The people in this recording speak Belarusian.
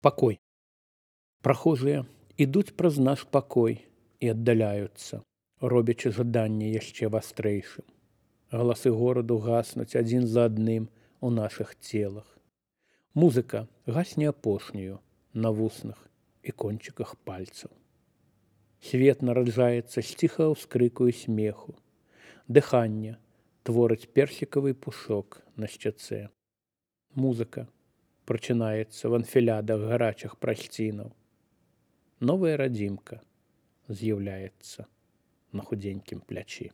Пакой. Прахожыя ідуць праз наш пакой і аддаляюцца, робячы жаданне яшчэ вастрэйшым. Галасы гораду гаснуць адзін за адным у нашых целах. Музыка гасне апошнюю на вуснах і кончыках пальцаў. Свет нараджаецца з ціхага ўскрыку і смеху. Дыханне творыць персікавы пушок на шчацэ. Музыка прачынаецца в анфілядах гарачых прасцінаў. Новая радзімка з'яўляецца на худзенькім плячы.